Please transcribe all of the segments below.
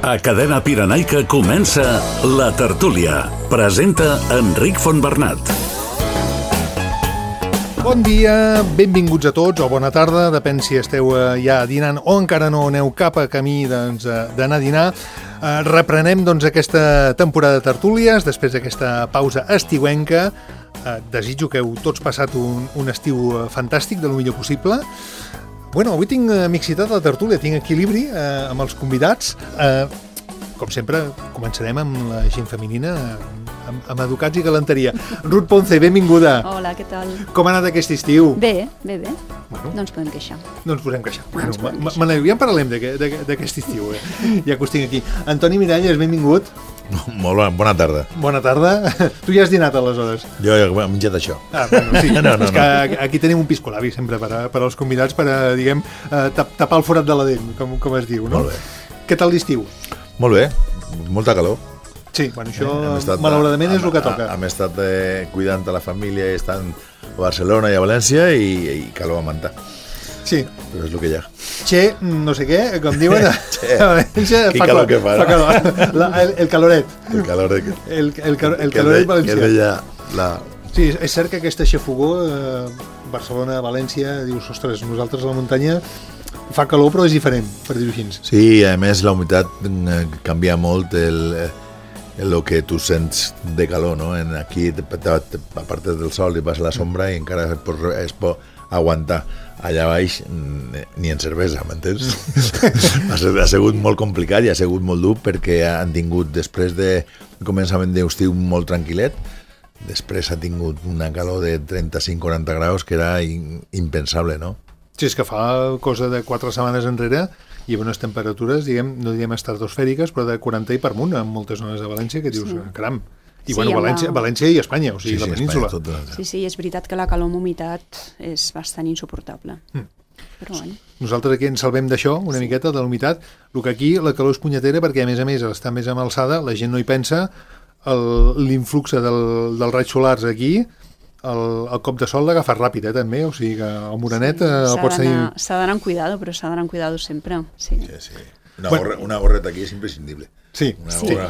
A Cadena Pirenaica comença La Tertúlia. Presenta Enric Fontbernat. Bon dia, benvinguts a tots, o bona tarda, depèn si esteu ja dinant o encara no aneu cap a camí d'anar a dinar. Reprenem aquesta temporada de tertúlies després d'aquesta pausa estiuenca. Desitjo que heu tots passat un estiu fantàstic, de lo millor possible. Bueno, avui tinc mixitat a la tertúlia, tinc equilibri amb els convidats. Com sempre, començarem amb la gent femenina, amb educats i galanteria. Ruth Ponce, benvinguda. Hola, què tal? Com ha anat aquest estiu? Bé. Bueno, no ens podem queixar. No ens podem queixar. Bueno, ja en parlem d'aquest estiu, ja que us tinc aquí. Antoni Miralles, benvingut. Molt bona tarda. Bona tarda. Tu ja has dinat, aleshores? Jo he menjat això. Bueno, sí. No. És que aquí tenim un piscolabis sempre per als convidats per tapar el forat de la dent, com es diu, no? Molt bé. Què tal l'estiu? Molt bé, molta calor. Sí, bueno, això malauradament és el que toca. Hem estat cuidant a la família, estan a Barcelona i a València i calor a manta. Sí. Però és el que hi ha. Che, no sé què, com diuen a València, Quin calor que fa, no? El caloret. El caloret. El caloret valencià. Que deia la... Sí, és cert que aquesta xafogó, Barcelona, València, dius, ostres, nosaltres a la muntanya fa calor però és diferent, per dir-ho així. Sí, a més la humitat canvia molt el que tu sents de calor, no? Aquí, a part del sol, i vas a la sombra i encara es pot aguantar. Allà baix ni en cervesa, m'entens? Ha sigut molt complicat i ha sigut molt dur perquè han tingut, després de començament d'estiu molt tranquil·let, després ha tingut una calor de 35-40 graus que era impensable, no? Sí, és que fa cosa de 4 setmanes enrere hi havia unes temperatures, no diguem estratosfèriques, però de 40 i per munt en moltes zones de València, que dius, caram. I sí, bueno, València i Espanya, o sigui, la península. Espanya, sí, és veritat que la calor amb humitat és bastant insuportable. Però bueno. Nosaltres aquí ens salvem d'això, una miqueta, de la humitat. El que aquí la calor és punyetera perquè, a més, està més amb alçada, la gent no hi pensa, l'influx dels raigs solars aquí, el cop de sol l'agafa ràpid, també, o sigui que el morenet el pots tenir... S'ha d'anar amb cuidado, però s'ha d'anar amb cuidado sempre. Sí. Una gorreta aquí és imprescindible. Sí.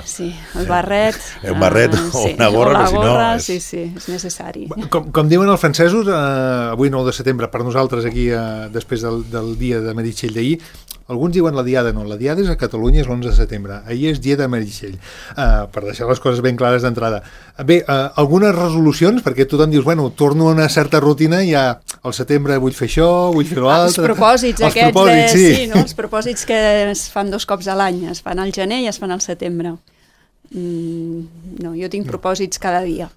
Sí, el barret... El barret o una gorra, o la gorra, sí, és necessari. Com diuen els francesos, avui 9 de setembre, per nosaltres aquí, després del dia de Meritxell d'ahir, alguns diuen la diada, no, la diada és a Catalunya, és l'11 de setembre, ahir és dia de Meritxell, per deixar les coses ben clares d'entrada. Bé, algunes resolucions, perquè tothom dius, bueno, torno a una certa rutina, ja al setembre vull fer això, vull fer l'altre... Els propòsits aquests, sí, no? Els propòsits que es fan 2 cops a l'any, es fan al gener i es fan al setembre. No, jo tinc propòsits cada dia.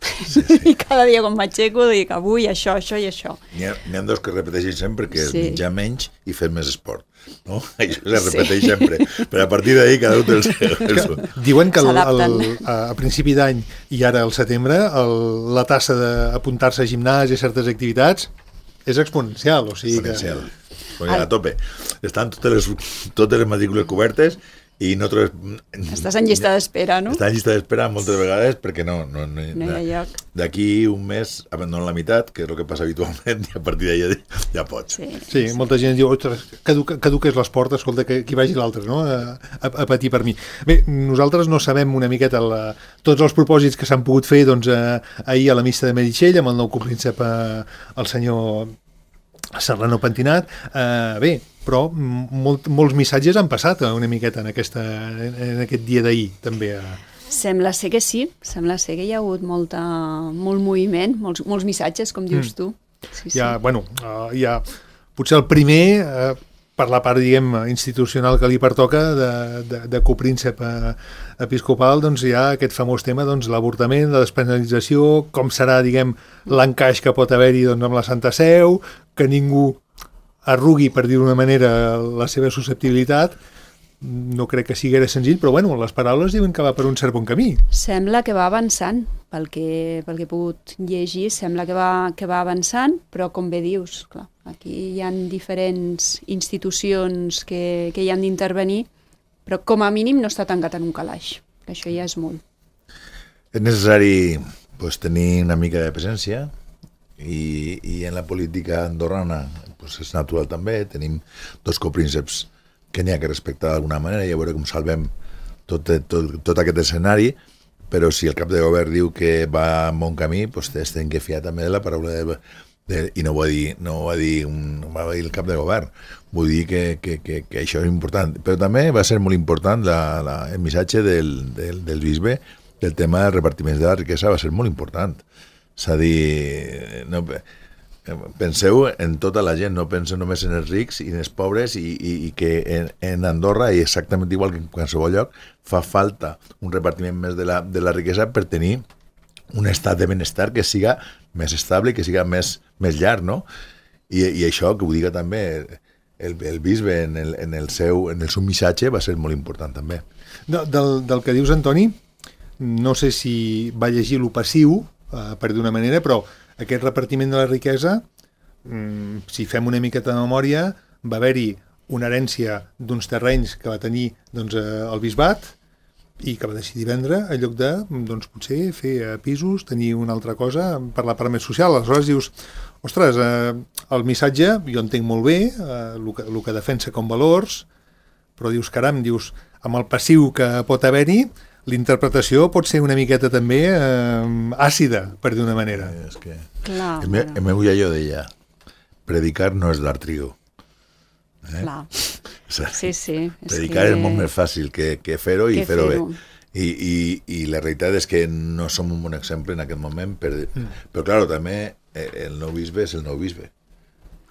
I cada dia quan m'aixeco dic avui això i això. N'hi ha 2 que repeteixen sempre, que és menjar menys i fer més esport. No? Això se repeteix sempre. Però a partir d'ahir cada un té el seu. Diuen que a principi d'any i ara al setembre la tassa d'apuntar-se a gimnàs i a certes activitats és exponencial. O sigui exponencial. A tope. Estan totes les matrícules cobertes i no trobes... Estàs en llista d'espera, no? Estàs en llista d'espera moltes vegades perquè no hi ha lloc. D'aquí un mes abandonen la meitat, que és el que passa habitualment, i a partir d'ahir ja pots. Sí, molta gent diu, ostres, caduc és l'esport, escolta, que hi vagi l'altre, no? A patir per mi. Bé, nosaltres no sabem una miqueta tots els propòsits que s'han pogut fer ahir a la missa de Meritxell, amb el nou copríncep, el senyor Serrano Pentinat. Bé, però molts missatges han passat una miqueta en aquest dia d'ahir, també. Sembla ser que sí, sembla ser que hi ha hagut molt moviment, molts missatges, com dius tu. Sí. Hi ha potser el primer, per la part, diguem, institucional que li pertoca, de copríncep episcopal, doncs hi ha aquest famós tema, doncs, l'avortament, la despenalització, com serà, diguem, l'encaix que pot haver-hi amb la Santa Seu, que ningú arrugui, per dir d'una manera, la seva susceptibilitat. No crec que sigui senzill, però bueno, les paraules diuen que va per un cert bon camí. Sembla que va avançant, pel que he pogut llegir, sembla que va avançant, però com bé dius, clar, aquí hi ha diferents institucions que hi han d'intervenir, però com a mínim no està tancat en un calaix, que això ja és molt. És necessari tenir una mica de presència i en la política andorrana és natural també, tenim 2 coprínceps que n'hi ha que respectar d'alguna manera i a veure com salvem tot aquest escenari, però si el cap de govern diu que va en bon camí, doncs hem que fiar també de la paraula i no ho va dir el cap de govern, vull dir que això és important, però també va ser molt important el missatge del bisbe del tema del repartiment de la riquesa, va ser molt important, és a dir, penseu en tota la gent, no penseu només en els rics i en els pobres, i que en Andorra, i exactament igual que en qualsevol lloc, fa falta un repartiment més de la riquesa per tenir un estat de benestar que siga més estable i que siga més llarg, no? I això, que ho diga també el bisbe en el seu missatge, va ser molt important també. Del que dius, Antoni, no sé si va llegir lo passiu, per d'una manera, però aquest repartiment de la riquesa, si fem una miqueta de memòria, va haver-hi una herència d'uns terrenys que va tenir el bisbat i que va decidir vendre en lloc de potser fer pisos, tenir una altra cosa per la part més social. Aleshores dius, ostres, el missatge jo entenc molt bé, el que defensa com valors, però dius, caram, amb el passiu que pot haver-hi, l'interpretació pot ser una miqueta també àcida, per dir una manera. És que el meu iaio deia, predicar no és dar trigo. Clar. Sí. Predicar és molt més fàcil que fer-ho i fer-ho bé. I la realitat és que no som un bon exemple en aquest moment, però clar, també el nou bisbe és el nou bisbe.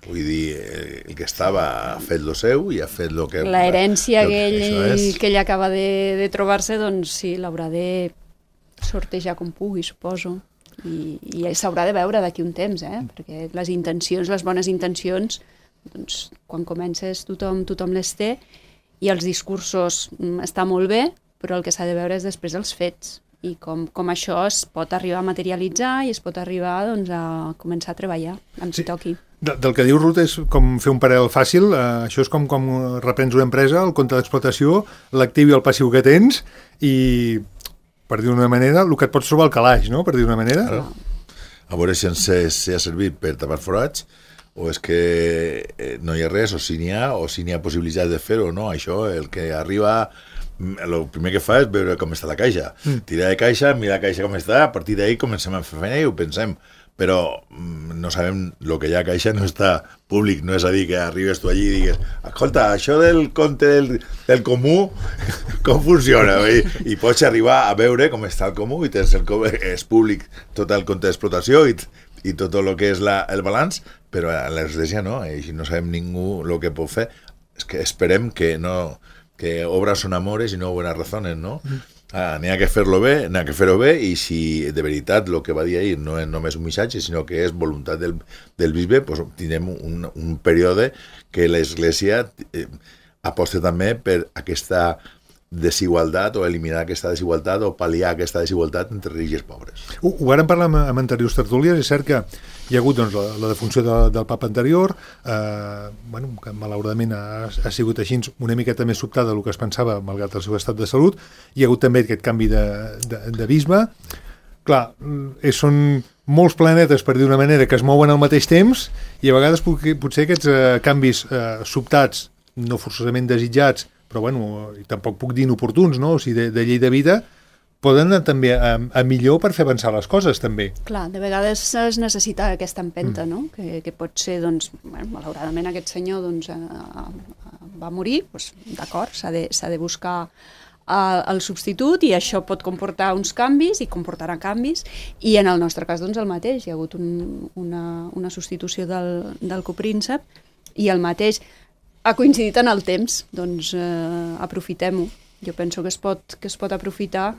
Vull dir, el que estava ha fet lo seu i ha fet lo que... La herència que ell acaba de trobar-se, doncs sí, l'haurà de sortejar com pugui, suposo. I s'haurà de veure d'aquí un temps, perquè les intencions, les bones intencions, doncs quan comences tothom les té, i els discursos està molt bé, però el que s'ha de veure és després els fets, i com això es pot arribar a materialitzar i es pot arribar a començar a treballar amb qui toqui. Del que diu Ruth és com fer un paral·lel fàcil, això és com reprens una empresa, el compte d'explotació, l'actiu i el passiu que tens, i per dir d'una manera, el que et pots trobar al calaix, no?, per dir d'una manera. A veure si ha servit per tapar forats, o és que no hi ha res, o si n'hi ha possibilitat de fer-ho, no? Això, el que arriba, el primer que fa és veure com està la caixa. Tirar de caixa, mirar la caixa com està, a partir d'ahir comencem a fer feina i ho pensem. Però no sabem, el que hi ha a caixa no està públic, no és a dir que arribes tu allí i digues, escolta, això del compte del comú, com funciona? I pots arribar a veure com està el comú i tens és públic tot el compte d'explotació i tot el que és el balanç, però a l'església no, i no sabem ningú el que pot fer. És que esperem que obras son amores i no buenas razones, no? N'hi ha que fer-ho bé, i si de veritat el que va dir ahir no és només un missatge, sinó que és voluntat del bisbe, doncs tindrem un període que l'Església aposta també per aquesta desigualtat, o eliminar aquesta desigualtat, o pal·liar aquesta desigualtat entre rics i pobres. Ho vàrem parlar amb anteriors tertúlies. És cert que hi ha hagut la defunció del papa anterior, que malauradament ha sigut així una miqueta més sobtada del que es pensava, malgrat el seu estat de salut. Hi ha hagut també aquest canvi de bisbe. Clar, són molts planetes, per dir d'una manera, que es mouen al mateix temps, i a vegades potser aquests canvis sobtats, no forçosament desitjats, però i tampoc puc dir inoportuns, no? O sigui, de llei de vida, poden anar també a millor per fer avançar les coses, també. Clar, de vegades es necessita aquesta empenta, no? Que pot ser, malauradament aquest senyor va morir, d'acord, s'ha de buscar el substitut, i això pot comportar uns canvis i comportarà canvis, i en el nostre cas el mateix. Hi ha hagut una substitució del copríncep, i el mateix ha coincidit en el temps, doncs aprofitem-ho. Jo penso que es pot aprofitar.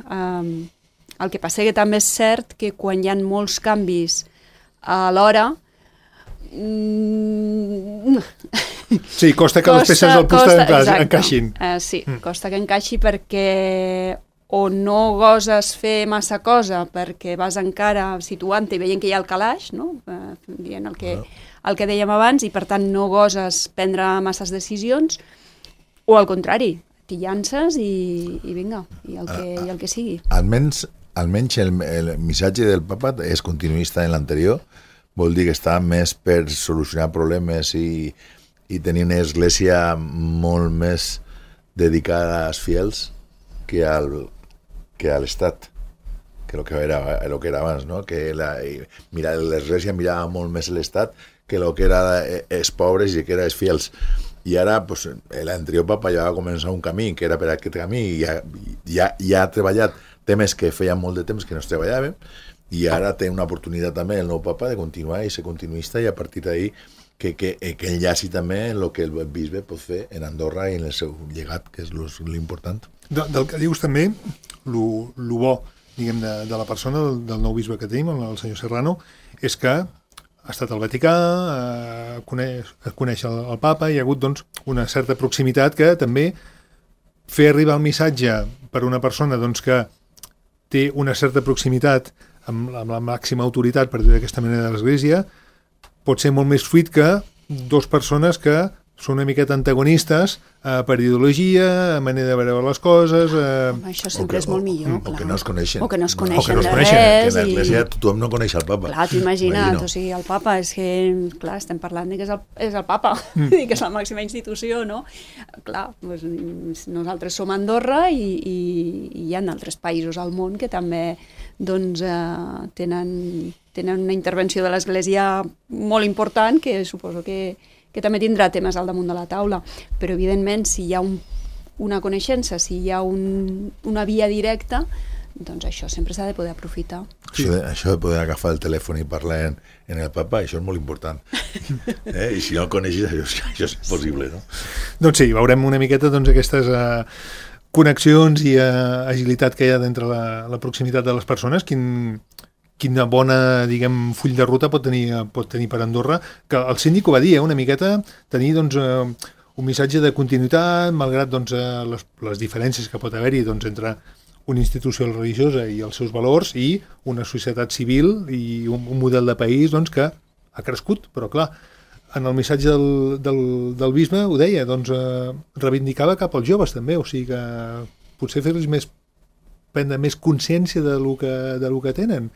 El que passa que també és cert que quan hi ha molts canvis alhora, sí, costa que les peces del puzzle encaixin. Sí, costa que encaixi, perquè o no goses fer massa cosa perquè vas encara situant-te i veient que hi ha el calaix, no? Dient el que dèiem abans, i per tant no goses prendre masses decisions, o al contrari, t'hi llances i vinga, i el que sigui. Almenys el missatge del papa és continuista en l'anterior, vol dir que està més per solucionar problemes i tenir una església molt més dedicada als fiels que a l'Estat, que el que era abans, no? Que l'Església mirava molt més l'Estat que el que era els pobres i que era els fiels. I ara l'anterior papa ja va començar un camí que era per aquest camí i ja ha treballat temes que feien molt de temps que no es treballaven i ara té una oportunitat també el nou papa de continuar i ser continuista i a partir d'ahir que enllaci també el que el bisbe pot fer en Andorra i en el seu llegat, que és l'important. Del que dius també, el bo, diguem, de la persona, del nou bisbe que tenim, el senyor Serrano, és que ha estat al Vaticà, coneix el papa, hi ha hagut doncs, una certa proximitat que també fer arribar el missatge per una persona doncs, que té una certa proximitat amb la màxima autoritat per dir d'aquesta manera de l'Església pot ser molt més fluid que dues persones que són una miqueta antagonistes per ideologia, manera de veure les coses... Això sempre és molt millor, clar. O que no es coneixen. O que no es coneixen de res. Que en l'Església tothom no coneix el papa. Clar, t'ho imagina't, o sigui, el papa és que, clar, estem parlant que és el papa, que és la màxima institució, no? Clar, doncs, nosaltres som Andorra i hi ha altres països al món que també doncs, tenen una intervenció de l'Església molt important que suposo que també tindrà temes al damunt de la taula, però evidentment si hi ha una coneixença, si hi ha una via directa, doncs això sempre s'ha de poder aprofitar. Això de poder agafar el telèfon i parlar en el papa, això és molt important. I si no el coneixes, això és possible, no? Doncs sí, veurem una miqueta doncs, aquestes connexions i agilitat que hi ha d'entre la proximitat de les persones, quina bona, diguem, full de ruta pot tenir per Andorra, que el síndic ho va dir, una miqueta, tenir doncs, un missatge de continuïtat, malgrat doncs, les diferències que pot haver-hi doncs, entre una institució religiosa i els seus valors i una societat civil i un model de país doncs, que ha crescut, però clar, en el missatge del bisbe ho deia, doncs, reivindicava cap als joves també, o sigui que potser fer-los prendre més consciència del que tenen,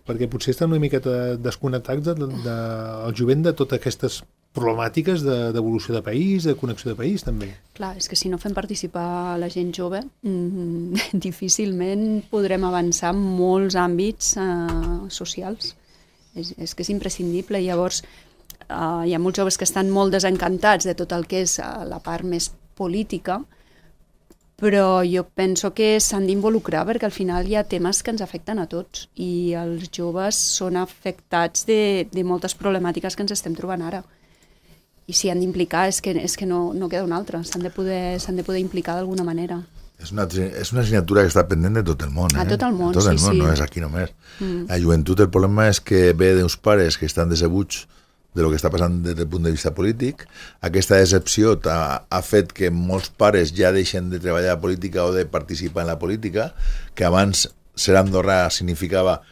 perquè potser estan una miqueta desconnectats del jovent de totes aquestes problemàtiques d'evolució de país, de connexió de país, també. Clar, és que si no fem participar la gent jove, difícilment podrem avançar en molts àmbits socials. És que és imprescindible. Llavors, hi ha molts joves que estan molt desencantats de tot el que és la part més política, però jo penso que s'han d'involucrar perquè al final hi ha temes que ens afecten a tots i els joves són afectats de moltes problemàtiques que ens estem trobant ara. I si han d'implicar és que no queda una altra, s'han de poder implicar d'alguna manera. És una assignatura que està pendent de tot el món. A tot el món, sí. Sí. No és aquí només. La joventut, el problema és que ve d'uns pares que estan decebuts de lo que està passant des del punt de vista polític. Aquesta decepció ha fet que molts pares ja deixen de treballar a la política o de participar en la política, que abans ser andorrà significava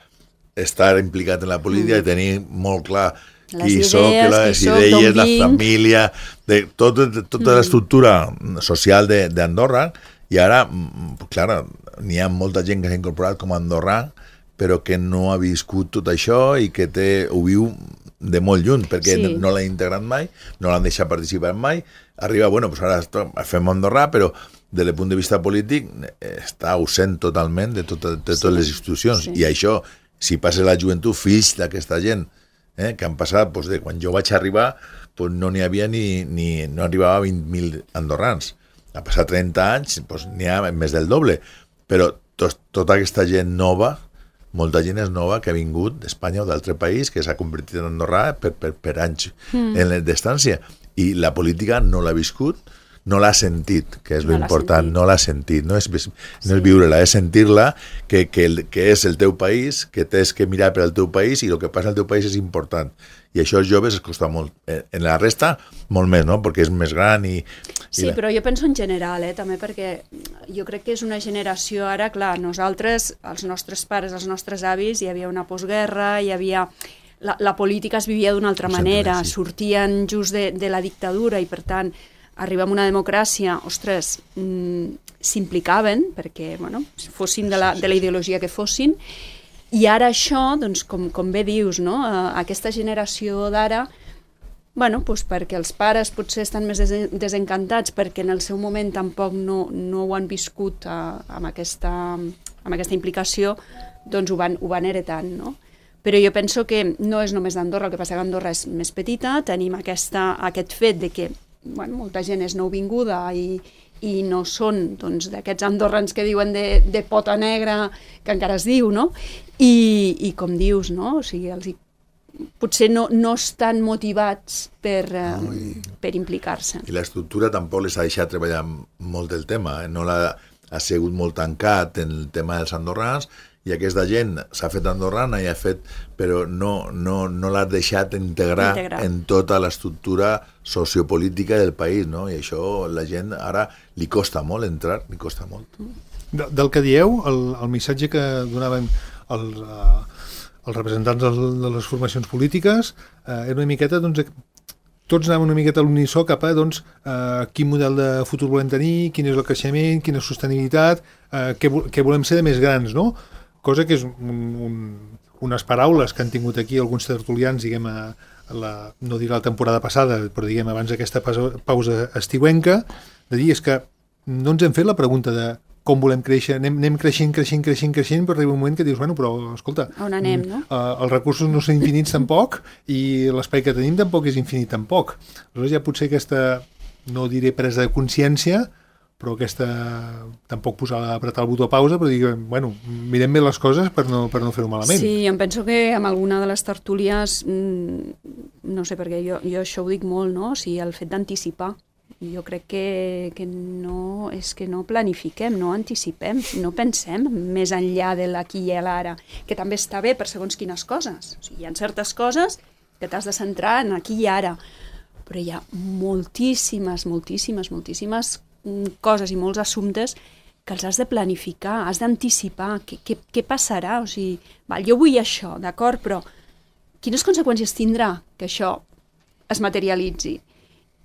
estar implicat en la política i tenir molt clar qui soc, les idees, la família, tota l'estructura social d'Andorra, i ara, clar, n'hi ha molta gent que s'ha incorporat com a andorrà, però que no ha viscut tot això i que ho viu de molt lluny, perquè no l'han integrat mai, no l'han deixat participar mai, arriba, doncs ara fem andorrà, però des del punt de vista polític està ausent totalment de totes les institucions, i això, si passa la joventut, fills d'aquesta gent, que han passat, de quan jo vaig arribar, no n'hi havia no arribava a 20.000 andorrans, ha passat 30 anys, n'hi ha més del doble, però tota aquesta gent nova, molta gent és nova que ha vingut d'Espanya o d'altre país, que s'ha convertit en andorrà per anys en l'estància. I la política no l'ha viscut, no l'ha sentit, que és l'important, no l'ha sentit. No és viure-la, és sentir-la, que és el teu país, que tens que mirar per al teu país i el que passa al teu país és important. I això als joves es costa molt. En la resta, molt més, no? Perquè és més gran i... Sí, però jo penso en general, també, perquè jo crec que és una generació ara, clar, nosaltres, els nostres pares, els nostres avis, hi havia una postguerra, hi havia... La política es vivia d'una altra manera, sortien just de la dictadura i, per tant, arribem a una democràcia, ostres, s'implicaven, perquè, fossin de la ideologia que fossin, i ara això, doncs, com bé dius, no? Aquesta generació d'ara Bueno, doncs perquè els pares potser estan més desencantats perquè en el seu moment tampoc no ho han viscut amb aquesta implicació, doncs ho van heretant, no? Però jo penso que no és només d'Andorra, el que passa que Andorra és més petita, tenim aquest fet de que molta gent és nouvinguda i no són d'aquests andorrans que diuen de pota negra, que encara es diu, no? I com dius, no? O sigui, potser no estan motivats per implicar-se. I l'estructura tampoc les ha deixat treballar molt el tema, no ha sigut molt tancat en el tema dels andorrans, i aquesta gent s'ha fet andorrana i ha fet, però no l'ha deixat integrar en tota l'estructura sociopolítica del país, no? I això la gent ara li costa molt entrar, li costa molt. Del que dieu, el missatge que donaven els representants de les formacions polítiques era una miqueta, doncs, tots anaven una miqueta a l'unisó cap a quin model de futur volem tenir, quin és el creixement, quina sostenibilitat, què volem ser de més grans, no? Cosa que és unes paraules que han tingut aquí alguns tertulians, diguem, no diré la temporada passada, però diguem abans d'aquesta pausa estiuenca, de dir és que no ens hem fet la pregunta de com volem créixer, anem creixent, però arriba un moment que dius, bueno, però escolta, on anem, no? Els recursos no són infinits tampoc i l'espai que tenim tampoc és infinit tampoc. Aleshores ja potser aquesta, no diré presa de consciència, però aquesta, tampoc apretar el botó pausa, però dir, bueno, mirem bé les coses per no fer-ho malament. Sí, em penso que amb alguna de les tertúlies, no sé, perquè jo això ho dic molt, no? O sigui, el fet d'anticipar. Jo crec que no, és que no planifiquem, no anticipem, no pensem més enllà de l'aquí i l'ara, que també està bé per segons quines coses. O sigui, hi ha certes coses que t'has de centrar en aquí i ara, però hi ha moltíssimes coses i molts assumptes que els has de planificar, has d'anticipar què passarà, o sigui, jo vull això, d'acord, però quines conseqüències tindrà que això es materialitzi?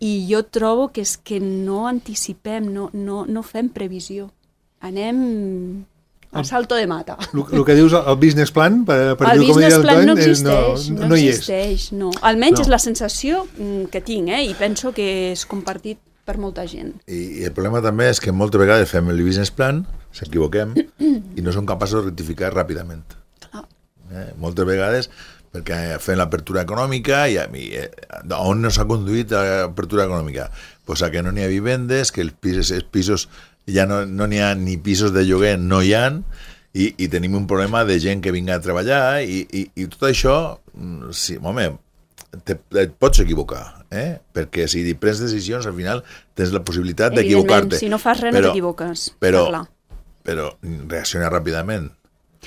I jo trobo que és que no anticipem, no fem previsió, anem al salto de mata. El que dius, el business plan, el business plan no existeix, no hi és. No. Almenys és la sensació que tinc, i penso que és compartit per molta gent. I el problema també és que moltes vegades fem el business plan, s'equivoquem, i no som capaços de rectificar ràpidament. Moltes vegades, perquè fem l'apertura econòmica i on no s'ha conduït l'apertura econòmica? Pues a que no n'hi ha vivendes, que els pisos ja no n'hi ha ni pisos de lloguer, no hi ha, i tenim un problema de gent que vinga a treballar i tot això, sí, home, et pots equivocar, perquè si prens decisions al final tens la possibilitat d'equivocar-te. Si no fas res no t'equivoques. Però reacciona ràpidament.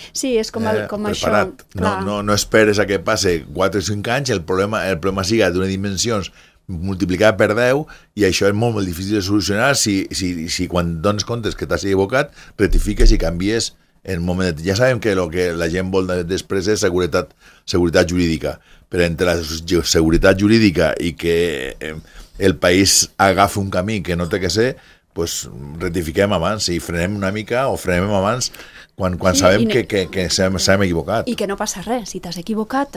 Sí, és com això. No esperes a que passe 4 o 5 anys, el problema siga d'una dimensions multiplicat per 10 i això és molt difícil de solucionar si quan dones comptes que t'has equivocat rectifiques i canvies en un moment. Ja sabem que el que la gent vol després és seguretat jurídica, però entre la seguretat jurídica i que el país agafi un camí que no té que ser, pues rectifiquem abans i frenem una mica o frenem abans quan sabem que s'hem equivocat. I que no passa res, si t'has equivocat,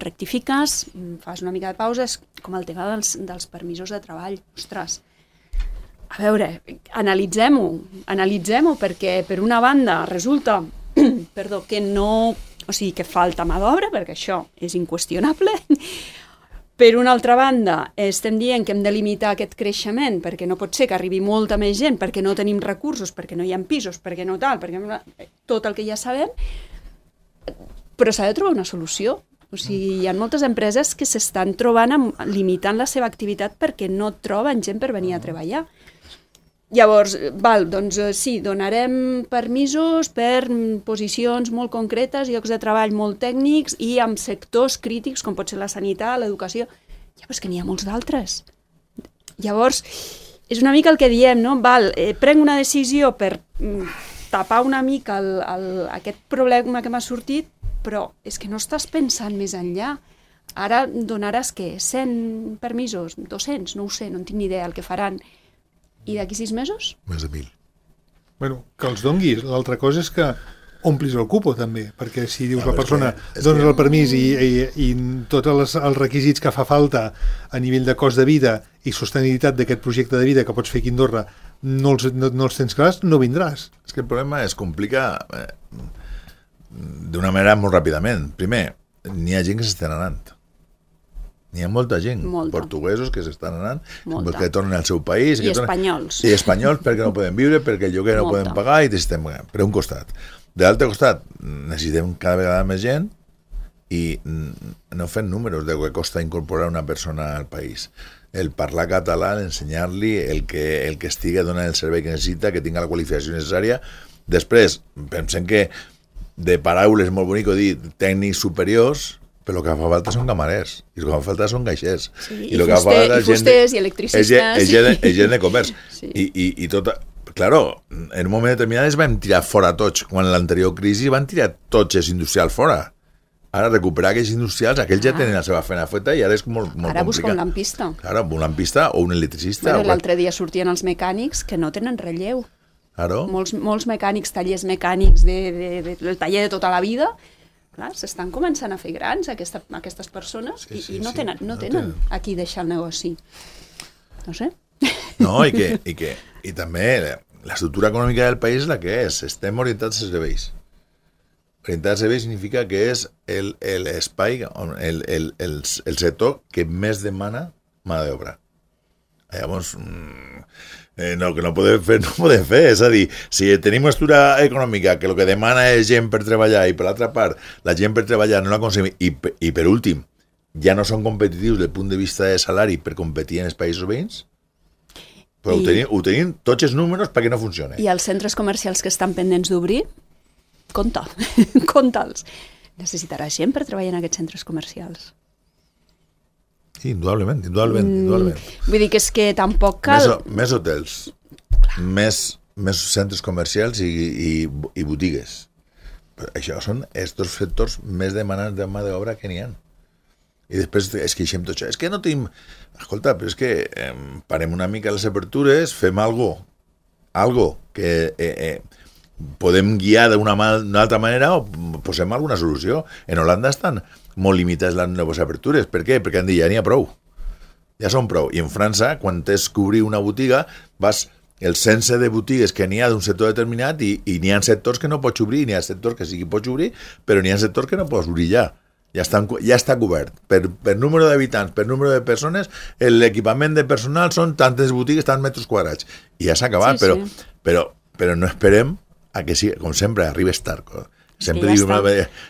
rectifiques, fas una mica de pausa, és com el tema dels permisos de treball. Ostres, a veure, analitzem-ho, perquè per una banda resulta que falta mà d'obra, perquè això és inqüestionable. Per una altra banda, estem dient que hem de limitar aquest creixement perquè no pot ser que arribi molta més gent, perquè no tenim recursos, perquè no hi ha pisos, perquè no tal, perquè tot el que ja sabem, però s'ha de trobar una solució. O sigui, hi ha moltes empreses que s'estan trobant limitant la seva activitat perquè no troben gent per venir a treballar. Llavors, doncs sí, donarem permisos per posicions molt concretes, llocs de treball molt tècnics i amb sectors crítics com pot ser la sanitat, l'educació. Ja, però és que n'hi ha molts d'altres. Llavors, és una mica el que diem, no? Prenc una decisió per tapar una mica aquest problema que m'ha sortit, però és que no estàs pensant més enllà. Ara donaràs, què? 100 permisos? 200? No ho sé, no en tinc ni idea el que faran. I d'aquí 6 mesos? Més de 1.000. Bueno, que els donguis. L'altra cosa és que omplis el cupo també, perquè si dius la persona dones el permís i tots els requisits que fa falta a nivell de cost de vida i sostenibilitat d'aquest projecte de vida que pots fer aquí a Andorra no els tens clars, no vindràs. És que el problema es complica d'una manera molt ràpidament. Primer, n'hi ha gent que s'estan anant. N'hi ha molta gent, portuguesos que s'estan anant, que tornen al seu país. I espanyols. I espanyols perquè no poden viure, perquè el lloguer no poden pagar i t'estem pagant. Per un costat. De l'altre costat, necessitem cada vegada més gent i no fem números de què costa incorporar una persona al país. El parlar català, ensenyar-li el que estigui donant el servei que necessita, que tinga la qualificació necessària. Després, pensem que de paraules molt bonic dir tècnics superiors, però el que fa falta són camarers, i el que fa falta són caixers. Sí, i fusters i electricistes. És gent de comerç. I tot... Claro, en un moment determinat es vam tirar fora tots. Quan en l'anterior crisi van tirar tots els industrials fora. Ara, recuperar aquells industrials, aquells ja tenen la seva feina feta i ara és molt complicat. Ara busca un lampista. Claro, un lampista o un electricista. Bueno, l'altre dia sortien els mecànics que no tenen relleu. Claro. Molts mecànics, tallers mecànics del taller de tota la vida, clar, s'estan començant a fer grans aquestes persones i no tenen a qui deixar el negoci. No sé. No, i també l'estructura econòmica del país és la que és. Estem orientats als serveis. Orientats als serveis significa que és l'espai, el sector que més demana mà d'obra. Llavors, que no podem fer, és a dir, si tenim una estructura econòmica que el que demana és gent per treballar i per l'altra part la gent per treballar no l'aconseguim i per últim ja no són competitius des del punt de vista de salari per competir en els països veïns, però ho tenim tots els números perquè no funciona. I els centres comercials que estan pendents d'obrir, compta'ls. Necessitaràs gent per treballar en aquests centres comercials. Sí, indudablement. Vull dir que és que tampoc cal... Més hotels, més centres comercials i botigues. Però això són els dos sectors més demanants de mà d'obra que n'hi ha. I després es queixem tot això. És que no tenim... Escolta, però és que parem una mica les apertures, fem algo que podem guiar d'una altra manera o posem alguna solució. En Holanda estan molt limitades les noves apertures. Per què? Perquè han dit ja n'hi ha prou. Ja són prou. I en França, quan tens que obrir una botiga, vas el cense de botigues que n'hi ha d'un sector determinat i n'hi ha sectors que no pots obrir, n'hi ha sectors que sí que pots obrir, però n'hi ha sectors que no pots obrir ja. Ja està cobert. Per número d'habitants, per número de persones, l'equipament de personal són tantes botigues, tants metres quadrats. I ja s'ha acabat, però no esperem a que sigui, com sempre, arribes tard. Sempre diu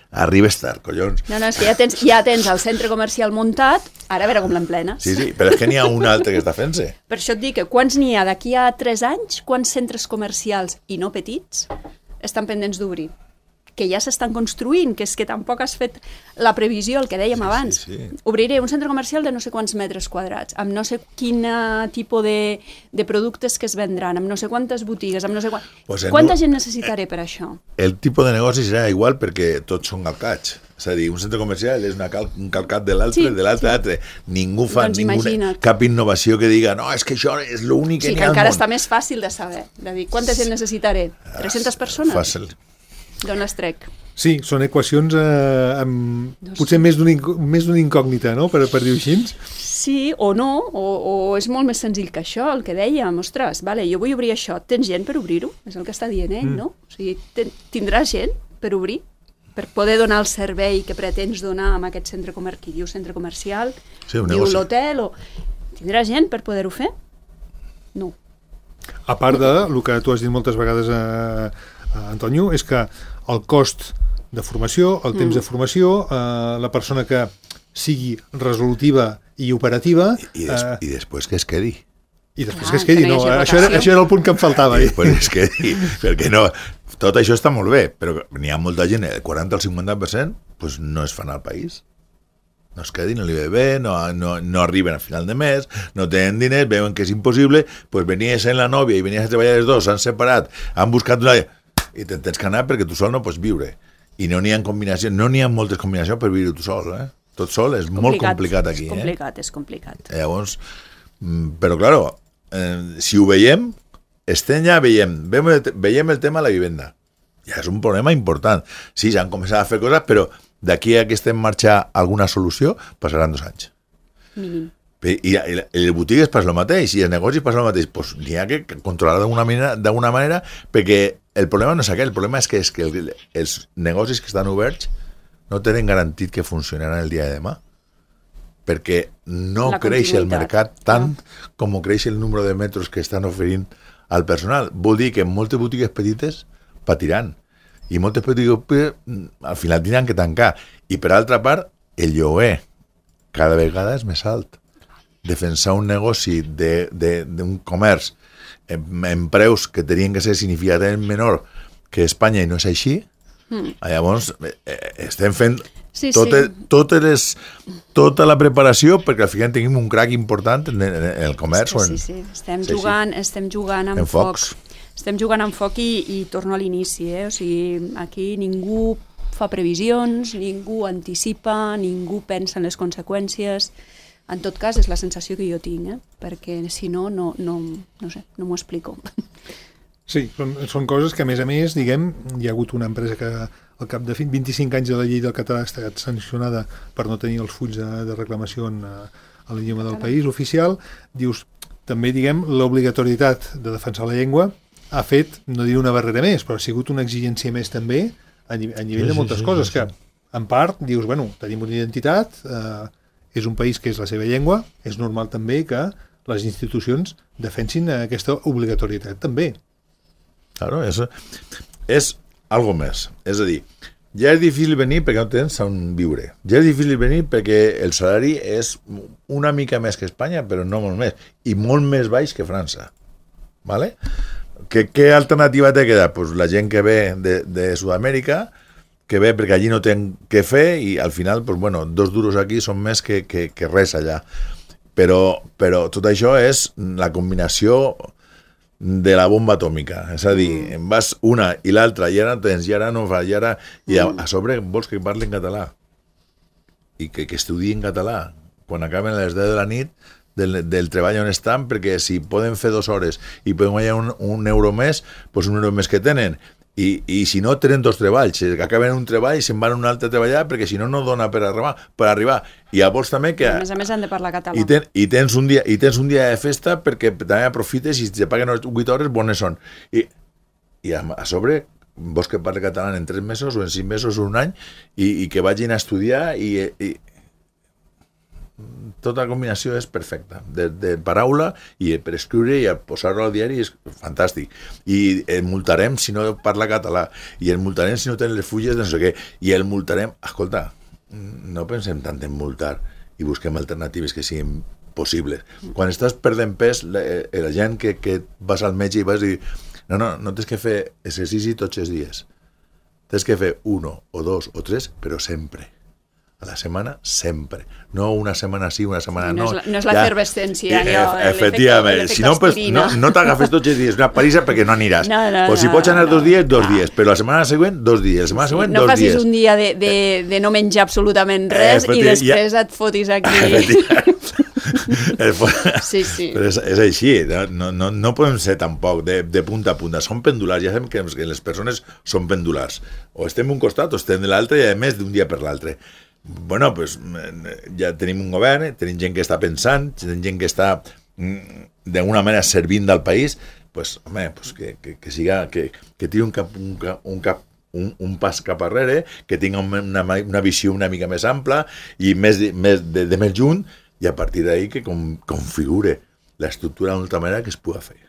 arribes tard, collons. No, és que ja tens el centre comercial muntat, ara a veure com l'emplenes. Sí, però és que n'hi ha un altre que està fent-se. Per això et dic que quants n'hi ha d'aquí a 3 anys, quants centres comercials i no petits estan pendents d'obrir? Que ja s'estan construint, que és que tampoc has fet la previsió, el que dèiem abans. Sí. Obriré un centre comercial de no sé quants metres quadrats, amb no sé quin tipus de productes que es vendran, amb no sé quantes botigues, amb no sé quanta gent necessitaré per això? El tipus de negoci serà igual perquè tots són calcats. És a dir, un centre comercial és un calcat de l'altre, Ningú fa cap innovació que diga no, és que això és l'únic que n'hi ha al món. Sí, que encara està més fàcil de saber, de dir quanta gent necessitaré? 300 persones? Fàcil. D'on les trec? Sí, són equacions potser més d'una incògnita, no?, per dir-ho així. Sí, o no, o és molt més senzill que això, el que dèiem, ostres, vale, jo vull obrir això, tens gent per obrir-ho? És el que està dient ell, no? O sigui, tindràs gent per obrir? Per poder donar el servei que pretens donar amb aquest centre comercial, qui diu centre comercial, diu l'hotel, tindràs gent per poder-ho fer? No. A part del que tu has dit moltes vegades, Antonio, és que el cost de formació, el temps de formació, la persona que sigui resolutiva i operativa... I després que es quedi. I després que es quedi, no. Això era el punt que em faltava. I després es quedi, perquè no... Tot això està molt bé, però n'hi ha molta gent, el 40 al 50%, doncs no es fan al país. No es quedin, no li ve bé, no arriben a final de mes, no tenen diners, veuen que és impossible, doncs venies en la nòvia i venies a treballar els dos, s'han separat, han buscat una... I tens que anar perquè tu sol no pots viure. I no n'hi ha combinacions, no n'hi ha moltes combinacions per viure tu sol, Tot sol és molt complicat aquí. És complicat. Llavors, però claro, si ho veiem, estem ja veiem el tema de la vivenda. Ja és un problema important. Sí, s'han començat a fer coses, però d'aquí a que estem en marxa alguna solució, passaran 2 anys. Mínim. I les botigues passa el mateix, i els negocis passa el mateix. Pues n'hi ha que controlar d'alguna manera, perquè el problema no és aquell, el problema és que els negocis que estan oberts no tenen garantit que funcionaran el dia de demà, perquè no creix el mercat tant com creix el número de metres que estan oferint al personal. Vol dir que moltes botigues petites patiran, i moltes botigues al final tindran que tancar. I per altra part, el lloguer cada vegada és més alt. Defensar un negoci d'un comerç en preus que tenien que ser significativament menor que Espanya i no és així, llavors estem fent tota la preparació perquè al final tenim un crac important en el comerç. Sí. Estem jugant amb foc. Estem jugant amb foc i torno a l'inici. O sigui, aquí ningú fa previsions, ningú anticipa, ningú pensa en les conseqüències. En tot cas, és la sensació que jo tinc, perquè si no, no sé, no m'ho explico. Sí, són coses que, a més, diguem, hi ha hagut una empresa que al cap de 25 anys de la llei del català ha estat sancionada per no tenir els fulls de reclamació a l'idioma del país oficial. Dius, també, diguem, l'obligatorietat de defensar la llengua ha fet, no diré una barrera més, però ha sigut una exigència més també a nivell de moltes coses, que en part dius, bueno, tenim una identitat, és un país que és la seva llengua, és normal també que les institucions defensin aquesta obligatorietat també. Claro, és algo més. És a dir, ja és difícil venir perquè no tens on viure. Ja és difícil venir perquè el salari és una mica més que Espanya, però no molt més. I molt més baix que França. ¿Vale? Què alternativa té queda? Pues la gent que ve de Sud-amèrica, que ve perquè allí no tenen què fer i al final, pues bueno, 2 duros aquí són més que res allà. Però tot això és la combinació de la bomba atòmica. És a dir, vas una i l'altra i ara tens, i ara no fa, i a sobre vols que parli en català i que estudiï en català quan acaben a les 10 de la nit del treball on estan, perquè si poden fer 2 hores i poden guanyar un euro més, doncs un euro més que tenen. I si no, tenen 2 treballs, acaben un treball i se'n van a un altre a treballar perquè si no, no dona per arribar. I llavors també que... A més han de parlar català. I tens un dia de festa perquè també aprofites i si te paguen 8 hores, bones són. I a sobre, vols que parli català en 3 mesos o en 5 mesos o un any i que vagin a estudiar i tota la combinació és perfecta, de paraula i per escriure i posar-ho al diari és fantàstic. I el multarem si no parla català, i el multarem si no té les fulles de no sé què, i el multarem... Escolta, no pensem tant en multar i busquem alternatives que siguin possibles. Quan estàs perdent pes, la gent que vas al metge i vas dir no tens que fer exercici tots els dies, tens que fer 1 o 2 o 3, però sempre. A la setmana, sempre. No una setmana sí, una setmana no. No és l'efervescència. Efectivament. Si no t'agafes tots els dies una parisa perquè no aniràs. O si pots anar 2 dies, 2 dies. Però la setmana següent, 2 dies. La setmana següent, 2 dies. No facis un dia de no menjar absolutament res i després et fotis aquí. Sí. Però és així. No podem ser tampoc de punta a punta. Som pendulars. Ja sabem que les persones són pendulars. O estem d'un costat o estem de l'altre i a més d'un dia per l'altre. Bueno, pues ja tenim un govern, tenim gent que està pensant, tenim gent que està d'alguna manera servint del país, pues, home, pues que siga, que tiri un pas cap arrere, que tingui una visió una mica més ampla i més junt, i a partir d'ahí que configure l'estructura d'una altra manera que es pugui fer.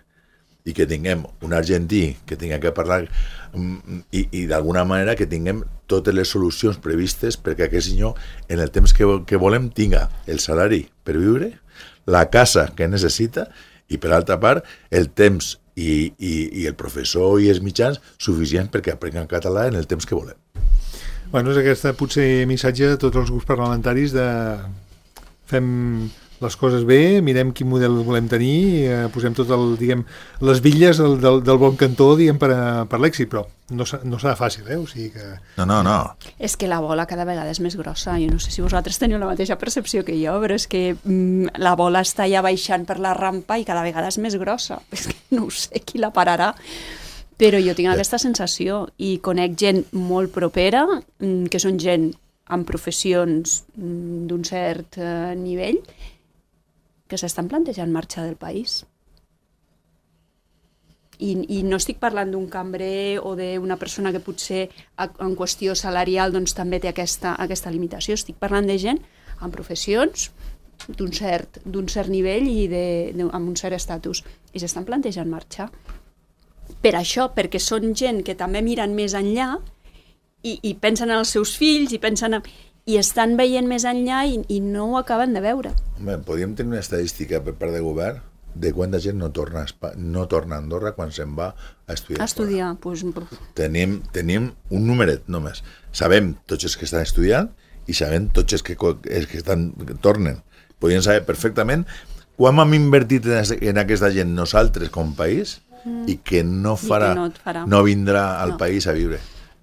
I que tinguem un argentí que tingui que parlar i d'alguna manera que tinguem totes les solucions previstes perquè aquest senyor en el temps que volem tinga el salari per viure, la casa que necessita i per altra part el temps i el professor i els mitjans suficients perquè aprenguin català en el temps que volem. Bueno, és aquest potser missatge de tots els grups parlamentaris de fem les coses bé, mirem quin model volem tenir, posem tot les bitlles del bon cantó, per l'èxit, però no serà fàcil, o sigui que... No. És que la bola cada vegada és més grossa, jo no sé si vosaltres teniu la mateixa percepció que jo, però és que la bola està ja baixant per la rampa i cada vegada és més grossa, és que no ho sé qui la pararà, Però jo tinc aquesta sensació i conec gent molt propera, que són gent amb professions d'un cert nivell, que s'estan plantejant marxar del país. I no estic parlant d'un cambrer o d'una persona que potser en qüestió salarial doncs, també té aquesta limitació. Estic parlant de gent amb professions d'un cert nivell i amb un cert estatus. I s'estan plantejant marxar. Per això, perquè són gent que també miren més enllà i pensen en els seus fills i estan veient més enllà i no ho acaben de veure. Home, podríem tenir una estadística per part de govern de quanta gent no torna a Andorra quan se'n va a estudiar. A estudiar, doncs... Tenim un numeret només. Sabem tots els que estan estudiant i sabem tots els que tornen. Podríem saber perfectament quan hem invertit en aquesta gent nosaltres com a país i que no vindrà al país a viure,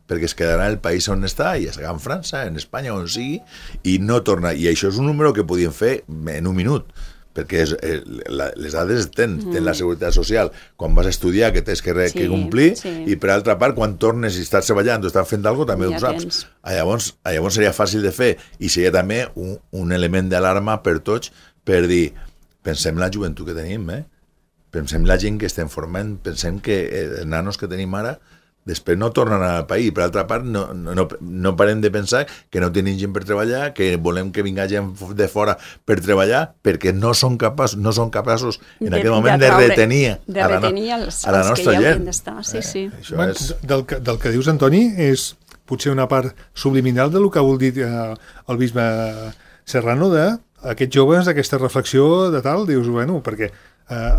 perquè es quedarà el país on està, ja sigui en França, en Espanya, on sigui, i no torna. I això és un número que podíem fer en un minut, perquè les dades tens la seguretat social quan vas a estudiar, que tens que complir, i per altra part, quan tornes i estàs treballant o estàs fent alguna cosa, també ho saps. Llavors seria fàcil de fer, i seria també un element d'alarma per tots, per dir, pensem la joventut que tenim, pensem la gent que estem formant, pensem que els nanos que tenim ara després no tornen al país. Per altra part, no parem de pensar que no tenim gent per treballar, que volem que vinga gent de fora per treballar, perquè no són capaços en aquest moment de retenir a la nostra gent. Sí. Del que dius, Antoni, és potser una part subliminal del que ha volgut dir el bisbe Serrano d'aquests joves, d'aquesta reflexió de tal, dius, bueno, perquè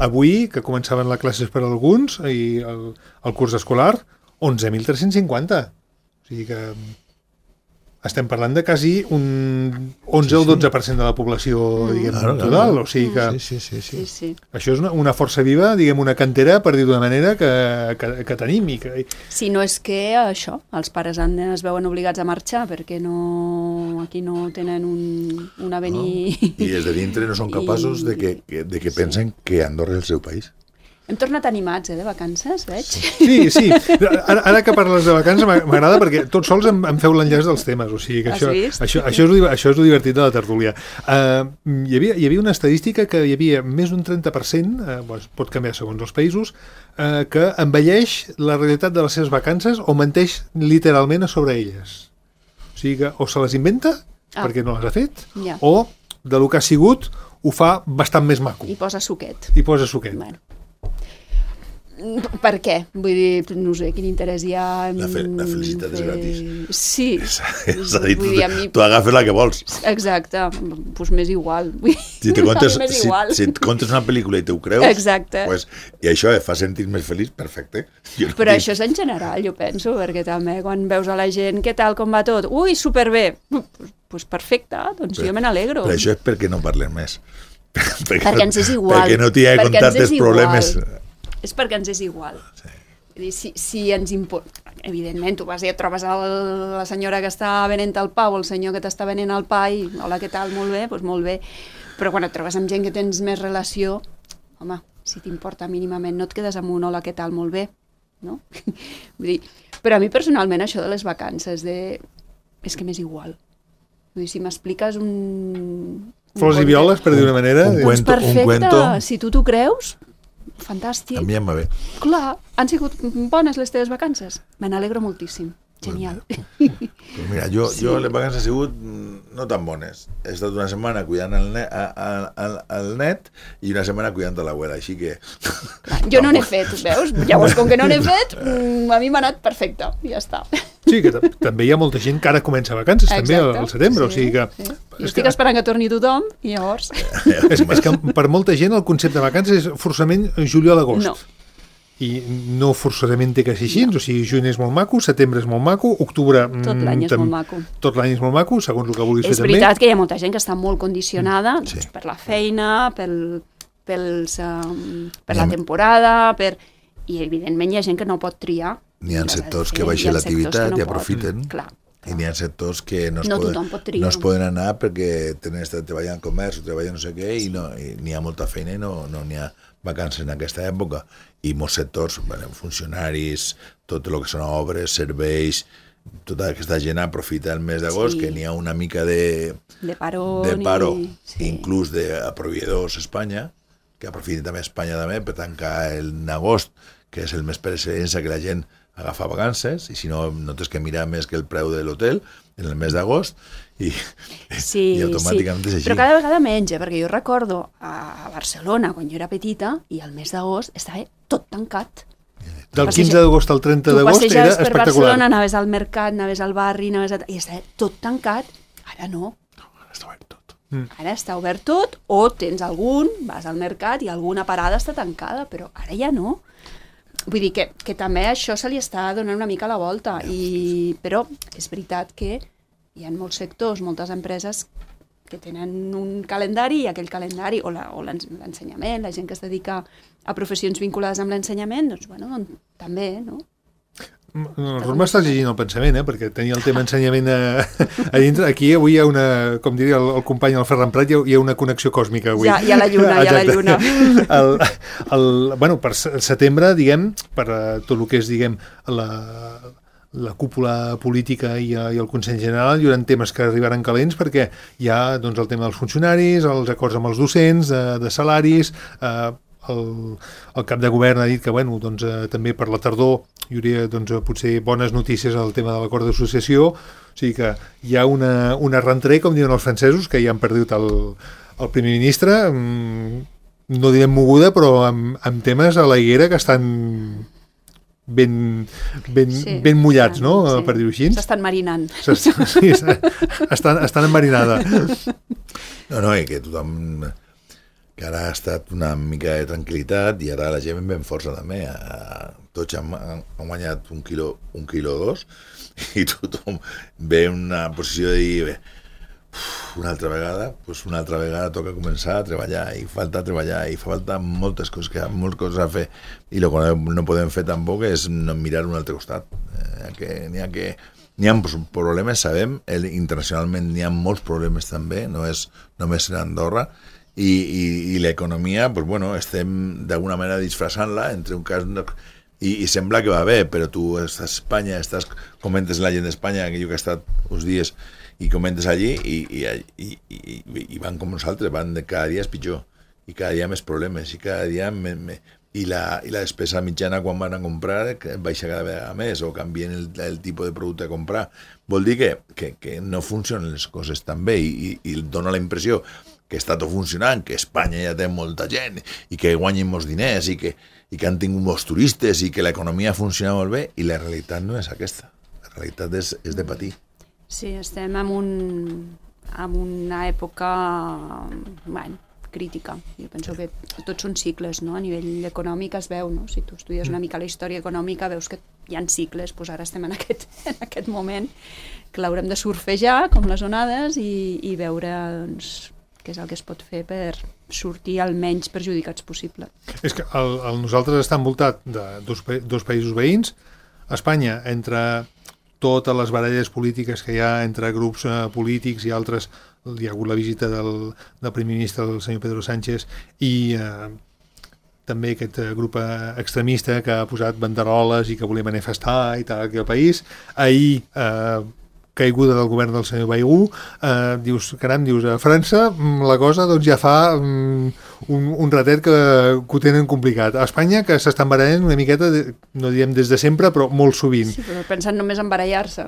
avui, que començaven les classes per alguns i el curs escolar, 11.350. O sigui que estem parlant de quasi un 11 o 12% de la població, diguem, total. O sigui que sí. Això és una força viva, diguem, una cantera, per dir d'una manera, que tenim. Si no és que això, els pares es veuen obligats a marxar perquè aquí no tenen un avenir... I des de dintre no són capaços de que pensen que Andorra és el seu país. Hem tornat animats, de vacances, veig? Sí. Ara que parles de vacances m'agrada perquè tots sols em feu l'enllaç dels temes, o sigui que això és el divertit de la tertúlia. Hi havia una estadística que hi havia més d'un 30%, pot canviar segons els països, que envelleix la realitat de les seves vacances o menteix literalment a sobre elles. O sigui que o se les inventa perquè no les ha fet, o de lo que ha sigut ho fa bastant més maco. I posa suquet. Bueno. Per què? Vull dir, no sé, quin interès hi ha... La felicitat és gratis. Sí. És a dir, tu agafes la que vols. Exacte, doncs m'és igual. Si et contes una pel·lícula i te ho creus, exacte. I això et fa sentir més feliç, perfecte. Però això és en general, jo penso, perquè també quan veus a la gent, què tal, com va tot? Ui, superbé! Doncs perfecte, doncs jo me n'alegro. Però això és perquè no parlem més. Perquè ens és igual. Perquè no t'hi ha contat els problemes... És perquè ens és igual. Sí. Si ens importa... Evidentment, tu vas i et trobes la senyora que està venent el pa o el senyor que t'està venent el pa i hola, què tal? Molt bé, doncs molt bé. Però quan et trobes amb gent que tens més relació, home, si t'importa mínimament, no et quedes amb un hola, què tal? Molt bé, no? Vull dir, però a mi personalment això de les vacances és que m'és igual. Vull dir, si m'expliques flors i violes, per dir una manera... Doncs perfecte, si tu t'ho creus... Fantàstic. A mi em va bé. Clar, han sigut bones les teves vacances? Me n'alegro moltíssim. Genial. Pues mira, jo les vacances han sigut no tan bones. He estat una setmana cuidant el net i una setmana cuidant l'abuela, així que... Jo no n'he fet, veus? Llavors, com que no n'he fet, a mi m'ha anat perfecte, i ja està. Sí, que també hi ha molta gent que ara comença vacances, també al setembre, o sigui que... Jo estic esperant que torni tothom, i llavors... És que per molta gent el concepte de vacances és forçament juliol-agost. No. I no forçosament té que ser així, o sigui, juny és molt maco, setembre és molt maco, octubre... Tot l'any és molt maco. Tot l'any és molt maco, segons el que vulguis fer també. És veritat que hi ha molta gent que està molt condicionada per la feina, per la temporada, i evidentment hi ha gent que no pot triar. N'hi ha sectors que baixen l'activitat i aprofiten. Clar, I n'hi ha sectors que no es poden anar perquè tenen estat treballant en comerç o treballant no sé què i n'hi ha molta feina i no n'hi ha vacances en aquesta època. I molts sectors, funcionaris, tot el que són obres, serveis, tota aquesta gent aprofita el mes d'agost, que n'hi ha una mica de paro, inclús de proveïdors a Espanya, que aprofiten també Espanya per tancar en agost, que és el mes per excel·lència que la gent agafa vacances, i si no, no tens que mirar més que el preu de l'hotel en el mes d'agost, i automàticament és així. Però cada vegada menys, perquè jo recordo a Barcelona, quan jo era petita, i al mes d'agost estava tot tancat. Del 15 d'agost al 30 d'agost era espectacular. Per Barcelona, anaves al mercat, anaves al barri, i estava tot tancat. Ara no. Ara està obert tot. Ara està obert tot, o tens vas al mercat i alguna parada està tancada, però ara ja no. Vull dir que també això se li està donant una mica la volta, però és veritat que hi ha molts sectors, moltes empreses que tenen un calendari i aquell calendari, o l'ensenyament, la gent que es dedica a professions vinculades amb l'ensenyament, doncs, també, no? M'estàs llegint el pensament, perquè tenia el tema ensenyament a dintre. Aquí avui hi ha una, com diria el company el Ferran Prat, hi ha una connexió còsmica avui. Hi ha la lluna, Per setembre, diguem, per tot el que és, diguem, la cúpula política i el Consell General, hi haurà temes que arribaran calents perquè hi ha doncs, el tema dels funcionaris, els acords amb els docents, de salaris, el cap de govern ha dit que també per la tardor hi hauria potser bones notícies al tema de l'acord d'associació, o sigui que hi ha una rentrée, com diuen els francesos, que ja han perdut el primer ministre, no direm moguda, però amb temes a la higuera que estan ben mullats, no? Per dir-ho així. S'estan marinant. Sí, estan enmarinada. No, i que tothom, que ara ha estat una mica de tranquil·litat i ara la gent ben força també. Tots han guanyat un quilo o dos i tothom ve en una posició de dir una altra vegada toca començar a treballar i falta treballar i fa falta moltes coses a fer i el que no podem fer tampoc és no mirar un altre costat. N'hi ha problemes, sabem, internacionalment n'hi ha molts problemes també, no és només en Andorra i l'economia, estem d'alguna manera disfressant-la entre un cas i sembla que va bé, però tu estàs a Espanya, comentes la gent d'Espanya, que jo que he estat uns dies i comentes allí i van com nosaltres, van cada dia és pitjor i cada dia més problemes i cada dia i la despesa mitjana quan van a comprar baixa cada vegada més o canvien el tipus de producte a comprar. Vol dir que no funcionen les coses tan bé i dona la impressió que està tot funcionant, que Espanya ja té molta gent i que guanyen molts diners i que han tingut molts turistes i que l'economia funciona molt bé i la realitat no és aquesta. La realitat és de patir. Sí, estem en una època crítica. Jo penso que tots són cicles, no? A nivell econòmic es veu, no? Si tu estudies una mica la història econòmica veus que hi ha cicles, doncs ara estem en aquest moment que l'haurem de surfejar com les onades i veure què és el que es pot fer per sortir el menys perjudicats possible. És que nosaltres està envoltat de dos països veïns, Espanya, entre totes les baralles polítiques que hi ha entre grups polítics i altres, hi ha hagut la visita del primer ministre, el senyor Pedro Sánchez, i també aquest grup extremista que ha posat banderoles i que volia manifestar i tal aquí al país. Ahir, caiguda del govern del senyor Baigú, dius, a França la cosa ja fa un ratet que ho tenen complicat. A Espanya, que s'estan barallant una miqueta, no diem des de sempre, però molt sovint. Sí, però pensant només en barallar-se.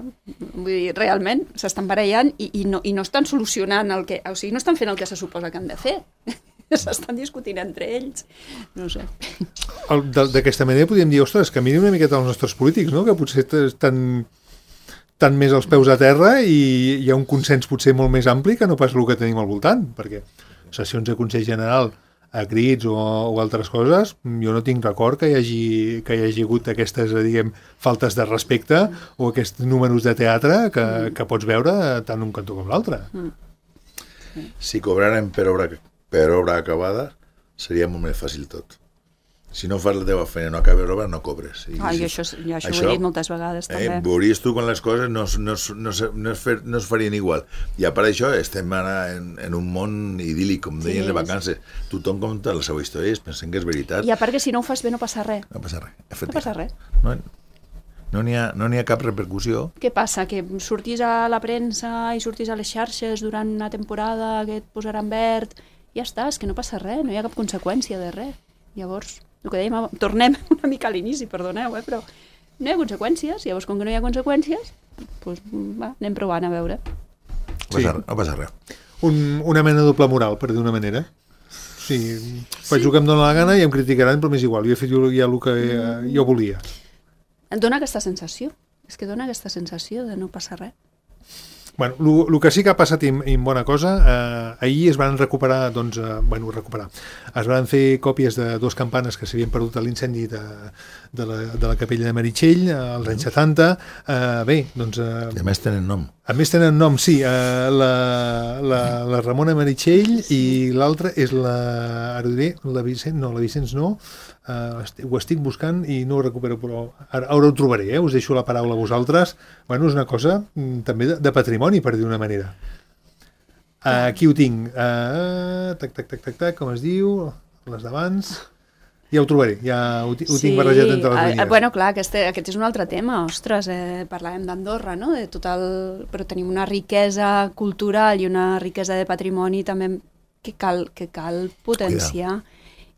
Vull dir, realment s'estan barallant i no estan solucionant no estan fent el que se suposa que han de fer. S'estan discutint entre ells. No sé. D'aquesta manera podríem dir, ostres, que mirin una miqueta els nostres polítics, no? Que potser estan més als peus a terra i hi ha un consens potser molt més ampli que no pas el que tenim al voltant, perquè sessions de Consell General a crits o altres coses, jo no tinc record que hi hagi hagut aquestes, diguem, faltes de respecte o aquests números de teatre que pots veure tant un cantó com l'altre. Si cobraren per obra acabada seria molt més fàcil tot. si no fas la teva feina, no acabes l'obra, no cobres. Jo això ho he dit moltes vegades, també. Veuries tu quan les coses no es farien igual. I a part d'això, estem ara en un món idíl·lic, com deien les vacances. Tothom compta la seva història i pensem que és veritat. I a part que si no ho fas bé no passa res. No passa res, No passa res. No n'hi ha cap repercussió. Què passa? Que surtis a la premsa i surtis a les xarxes durant una temporada que et posaran verd, ja està, és que no passa res, no hi ha cap conseqüència de res. Llavors, el que dèiem, tornem una mica a l'inici, perdoneu, però no hi ha conseqüències, llavors com que no hi ha conseqüències, doncs anem provant a veure. No passa res. Una mena de doble moral, per dir una manera. Sí, faig el que em dóna la gana i em criticaran, però m'és igual, jo he fet ja el que jo volia. Et dona aquesta sensació, és que dona aquesta sensació de no passar res. Bueno, el que sí que ha passat i bona cosa, ahir es van recuperar, es van fer còpies de 2 campanes que s'havien perdut a l'incendi de la capella de Meritxell als anys 70. Bé, doncs... I a més tenen nom. A més tenen nom, sí. La Ramona Meritxell i l'altra és la Vicenç no. Ho estic buscant i no ho recupero, però ara ho trobaré, us deixo la paraula a vosaltres. Bueno, és una cosa també de patrimoni, per dir una manera. Aquí ho tinc. Com es diu? Les d'abans. Ja ho trobaré, ja ho tinc barrejat entre les línies. Bueno, clar, aquest és un altre tema. Ostres, parlàvem d'Andorra, no? Però tenim una riquesa cultural i una riquesa de patrimoni també que cal potenciar.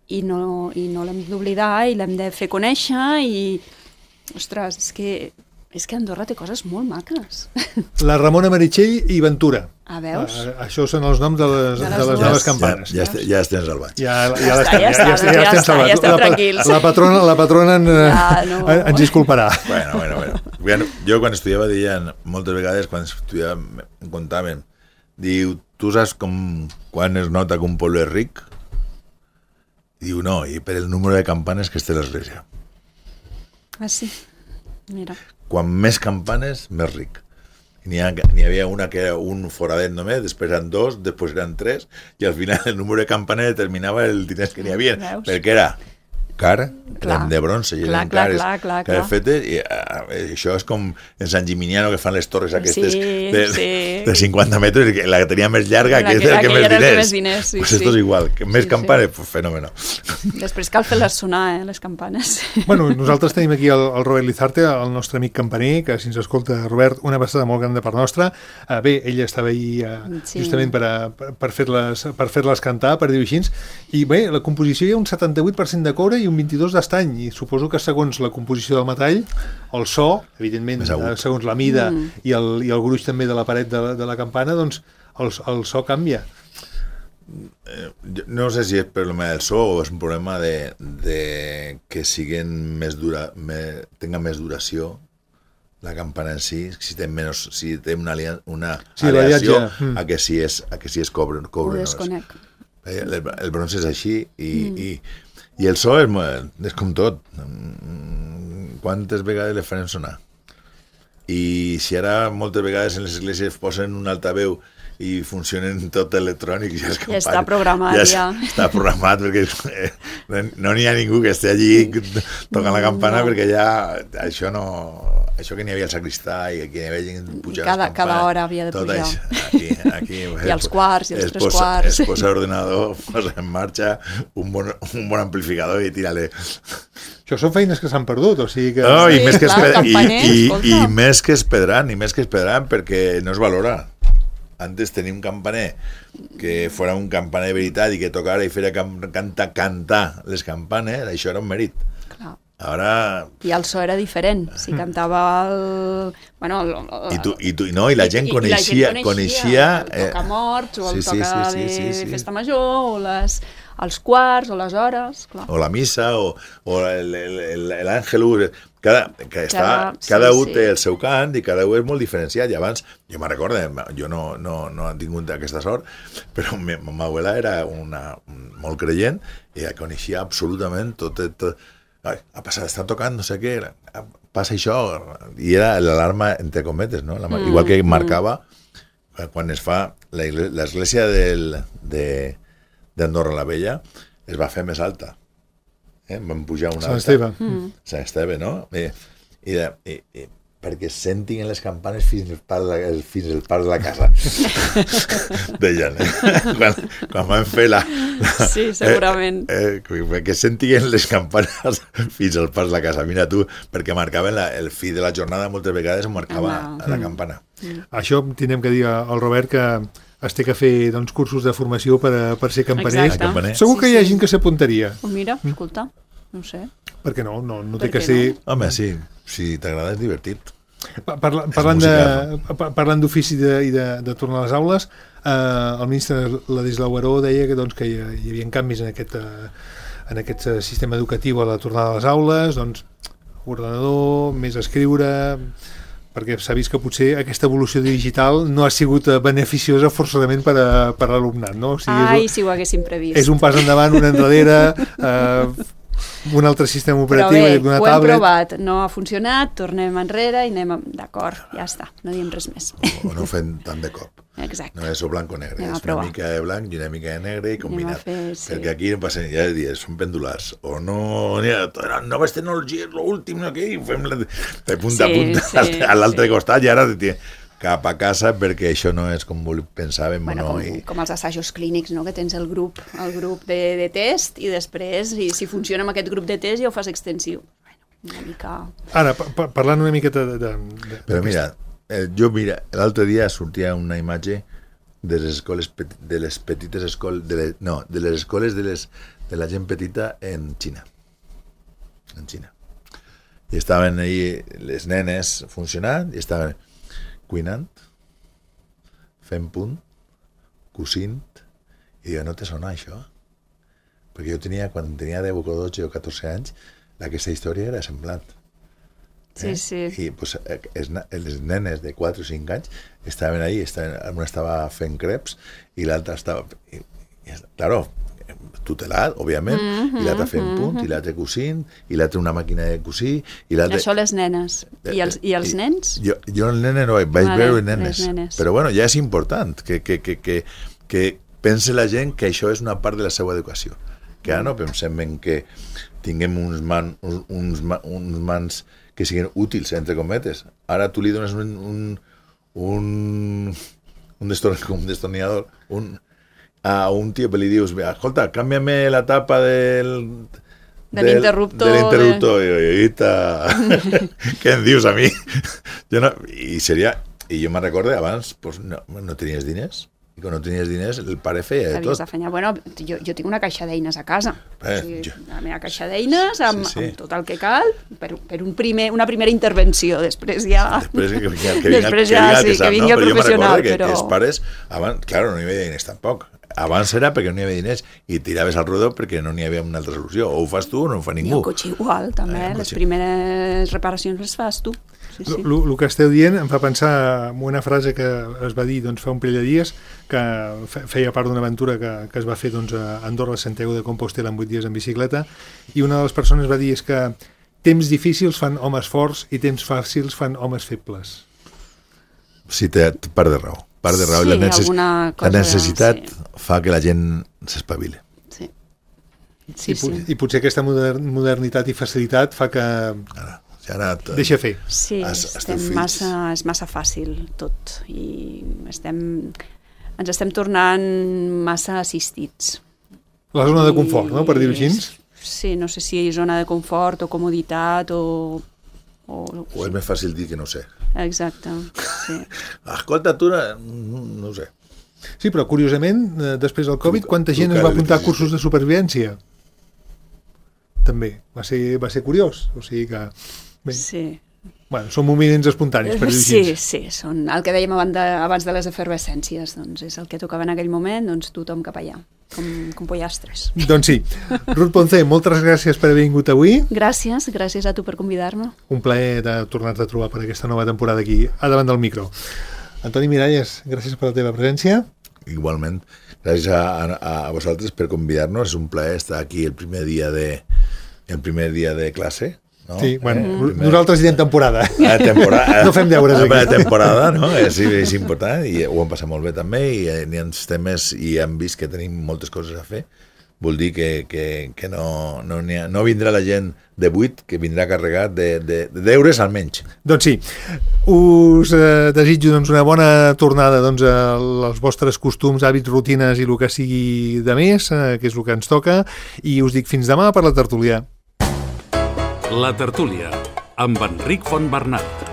I no l'hem d'oblidar i l'hem de fer conèixer i, ostres, és que Andorra té coses molt maques. La Ramona Meritxell i Ventura. Veus? Això són els noms de les noves campanes. Ja estem salvats. Ja estem salvats. Ja estem tranquils. La patrona ens disculparà. Bueno, jo quan estudiava deien, moltes vegades quan estudiàvem, em contaven, diu, tu saps quan es nota que un poble és ric? Diu, no, i per el número de campanes que es té a l'església. Sí, mira. Quan més campanes, més ric. N'hi havia una que era un foradet només, després eren 2, després eren 3, i al final el número de campanes determinava el diners que n'hi havia, perquè era car, eren de bronze, i eren cares fetes, i això és com en Sant Gimignano que fan les torres aquestes de 50 metres, i la que tenia més llarga, que és el que més diners. Pues esto és igual, que més campanes, pues fenómeno. Després cal fer-les sonar, les campanes. Bueno, nosaltres tenim aquí el Robert Lizarte, el nostre amic campaner, que si ens escolta, Robert, una passada molt gran de part nostra. Bé, ella estava ahir justament per fer-les cantar, per dir-ho així, i bé, la composició hi ha un 78% de coure i un 22% d'estany, i suposo que segons la composició del metall, el so, evidentment, segons la mida i el gruix també de la paret de la campana, doncs el so canvia. No sé si és problema del so o és un problema de que tenga més duració la campana en si té una aleació a que si és cobre. Ho desconec. El bronze és així i el so és com tot. Quantes vegades le farem sonar? I si ara moltes vegades en les esglésies posen un altaveu i funcionen tot electrònic, ja està programat, està programat, perquè no n'hi ha ningú que estigui allí tocant la campana, perquè ja això que n'hi havia el sacristà i que n'hi havia gent pujar les campanes, cada hora havia de pujar aquí, i els quarts i els 3 quarts es posa l'ordenador, posa en marxa un bon amplificador i tira-le. Això són feines que s'han perdut, o sigui que... No, i més que es perdran perquè no es valora. Antes tenia un campaner que fora un campaner de veritat i que tocara i fera cantar les campanes, això era un mèrit. Clar. Ara... I el so era diferent. Si cantava el... I la gent coneixia... El toca morts, o el toca de festa major, o els quarts, o les hores... Clar. O la missa, o l'àngelus... Cada un té el seu cant i cada un és molt diferenciat. I abans, jo me'n recordo, jo no he tingut aquesta sort, però ma abuela era molt creient i coneixia absolutament tot. Ha passat, està tocant, no sé què, passa això, i era l'alarma entre cometes, no? Igual que marcava quan es fa l'església d'Andorra la Vella, es va fer més alta. Vam pujar una Sant Esteve. Sant Esteve, no? Perquè sentin les campanes fins al parc de la casa. Deien, quan vam fer la... Sí, segurament. Perquè sentin les campanes fins al parc de la casa. Mira tu, perquè marcaven el fi de la jornada, moltes vegades ho marcava a la campana. Això tindrem que dir al Robert que es té que fer cursos de formació per ser campaner. Exacte. Segur que hi ha gent que s'apuntaria. Mira, escolta, no sé. Perquè no té que ser... Home, sí, si t'agrada és divertit. Parlant d'ofici i de tornar a les aules, el ministre Ladislau Baró deia que hi havia canvis en aquest sistema educatiu a la tornada a les aules, ordenador, més escriure, perquè s'ha vist que potser aquesta evolució digital no ha sigut beneficiosa forçosament per a l'alumnat, no? O sigui, si ho haguéssim previst. És un pas endavant, un enrere, un altre sistema operatiu, una tablet... Però bé, ho hem provat, no ha funcionat, tornem enrere i anem... D'acord, ja està, no diem res més. O no fem tant de cop. Exacte. No és o blanc o negre, és una mica de blanc i una mica de negre i combinat. Perquè aquí no passa, ja dies, són pendulars. O no, noves tecnologies, l'últim, no, aquí, fem de punta a punta a l'altre costat i ara cap a casa perquè això no és com pensàvem. Com els assajos clínics, no? Que tens el grup de test i després, si funciona amb aquest grup de test, ja ho fas extensiu. Una mica... Ara, parlant una miqueta de... Però mira, l'altre dia sortia una imatge de les escoles, de les petites escoles, de les escoles de la gent petita en Xina. I estaven ahí les nenes funcionant i estaven cuinant, fent punt, cosint, i diu, no te sona això? Perquè jo tenia, quan tenia 10 o 12 o 14 anys, aquesta història era semblant. Sí. I pues, les nenes de 4 o 5 anys estaven ahí, una estava fent creps i l'altra estava... Claro, tutelat, òbviament, i l'altre fent punt, i l'altre cosint, i l'altre una màquina de cosir, i l'altre... Això les nenes. I els nens? Jo el nene no, vaig veure nenes. Però bueno, ja és important que pense la gent que això és una part de la seva educació. Que ara no pensem en que tinguem uns mans que siguin útils, entre cometes. Ara tu li dones un destornillador, a un tio que li dius, escolta, canvia'm la tapa de l'interruptor. I què em dius a mi? I jo me'n recordo, abans no tenies diners. I quan no tenies diners, el pare feia de tot. Bueno, jo tinc una caixa d'eines a casa. La meva caixa d'eines amb tot el que cal per una primera intervenció. Després ja... que vingui el professional. Però jo me'n recordo que els pares, abans, clar, no hi havia diners tampoc. Abans era perquè no hi havia diners i tiraves al rodó perquè no n'hi havia una altra solució. O ho fas tu o no ho fa ningú. I el cotxe igual, també. Les primeres reparacions les fas tu. El que esteu dient em fa pensar en una frase que es va dir fa un parell de dies, que feia part d'una aventura que es va fer a Andorra, Santiago de Compostela en 8 dies en bicicleta, i una de les persones va dir és que temps difícils fan homes forts i temps fàcils fan homes febles. Sí, té part de raó. La necessitat fa que la gent s'espavili. I potser aquesta modernitat i facilitat fa que deixa fer. Sí, és massa fàcil tot i ens estem tornant massa assistits. La zona de confort, no?, per dir-ho així? Sí, no sé si zona de confort o comoditat o és més fàcil dir que no sé. Exacte, sí. Escolta, tu no ho sé. Sí, però curiosament, després del Covid, quanta gent es va apuntar a cursos de supervivència? També. Va ser curiós. O sigui que... Sí. Bueno, són moviments espontanis, per dir-ho així. Sí, són el que dèiem abans de les efervescències, doncs és el que tocava en aquell moment, doncs tothom cap allà, com pollastres. Doncs sí. Ruth Ponce, moltes gràcies per haver vingut avui. Gràcies a tu per convidar-me. Un plaer de tornar-te a trobar per aquesta nova temporada aquí, a davant del micro. Antoni Miralles, gràcies per la teva presència. Igualment, gràcies a vosaltres per convidar-nos, és un plaer estar aquí el primer dia de classe. No? Sí, bueno, nosaltres diem temporada. No fem deures aquí. La temporada, no? És important i ho hem passat molt bé també i n'hi ha temes i hem vist que tenim moltes coses a fer vol dir que no vindrà la gent de 8, que vindrà carregat de deures almenys. Doncs sí, us desitjo una bona tornada als vostres costums, hàbits, rutines i el que sigui de més, que és el que ens toca, i us dic fins demà per la tertúlia. La tertúlia, amb Enric Fontbernat.